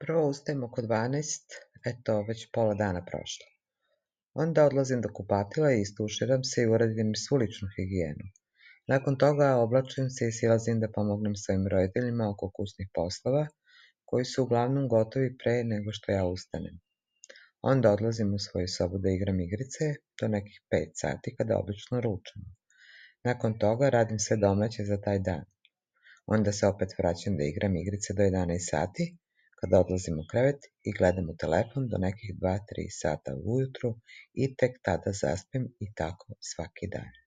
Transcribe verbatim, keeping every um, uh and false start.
Prvo ustajem oko dvanaest, eto, već pola dana prošlo. Onda odlazim do kupatila i istuširam se i uradim svu ličnu higijenu. Nakon toga oblačim se i silazim da pomognem svojim roditeljima oko kućnih poslova, koji su uglavnom gotovi pre nego što ja ustanem. Onda odlazim u svoju sobu da igram igrice do nekih pet sati kada obično ručamo. Nakon toga radim sve domaće za taj dan. Onda se opet vraćam da igram igrice do jedanaest sati, kada odlazim u krevet i gledam u telefon do nekih dva tri sata ujutru i tek tada zaspim i tako svaki dan.